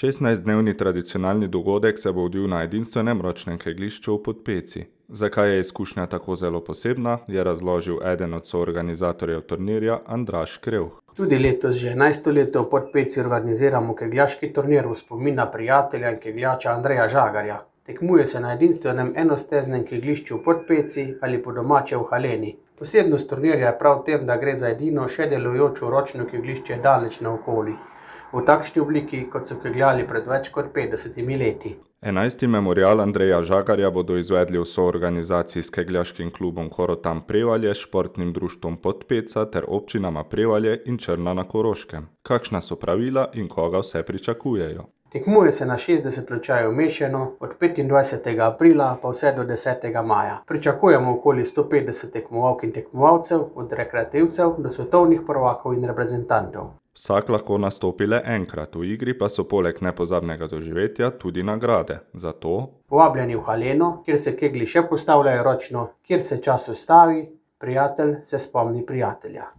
16-dnevni tradicionalni dogodek se bo odvil na edinstvenem ročnem kegljišču v Podpeci. Zakaj je izkušnja tako zelo posebna, je razložil eden od soorganizatorjev turnirja Andraž Krevh. Tudi letos že 11. leto v Podpeci organiziramo kegljaški turnir v spomin na prijatelja in kegljača Andreja Žagarja. Tekmuje se na edinstvenem enosteznem kegljišču v Podpeci ali po domače v Haleni. Posebnost turnirja je prav v tem, da gre za edino še delujočo ročno kegljišče daleč naokoli, v takšni obliki, kot so kegljali pred več kot 50 leti. 11. memorial Andreja Žagarja bodo izvedli v soorganizaciji s kegljaškim klubom Korotan Prevalje, športnim društvom Podpeca ter občinama Prevalje in Črna na Koroškem. Kakšna so pravila in koga vse pričakujejo? Tekmuje se na 60 lučajev mešano, od 25. aprila pa vse do 10. maja. Pričakujemo okoli 150 tekmovalk in tekmovalcev, od rekreativcev do svetovnih prvakov in reprezentantov. Vsak lahko nastopi le enkrat, v igri pa so poleg nepozabnega doživetja tudi nagrade. Zato povabljeni v Haleno, kjer se keglji še postavljajo ročno, kjer se čas ustavi, prijatelj se spomni prijatelja.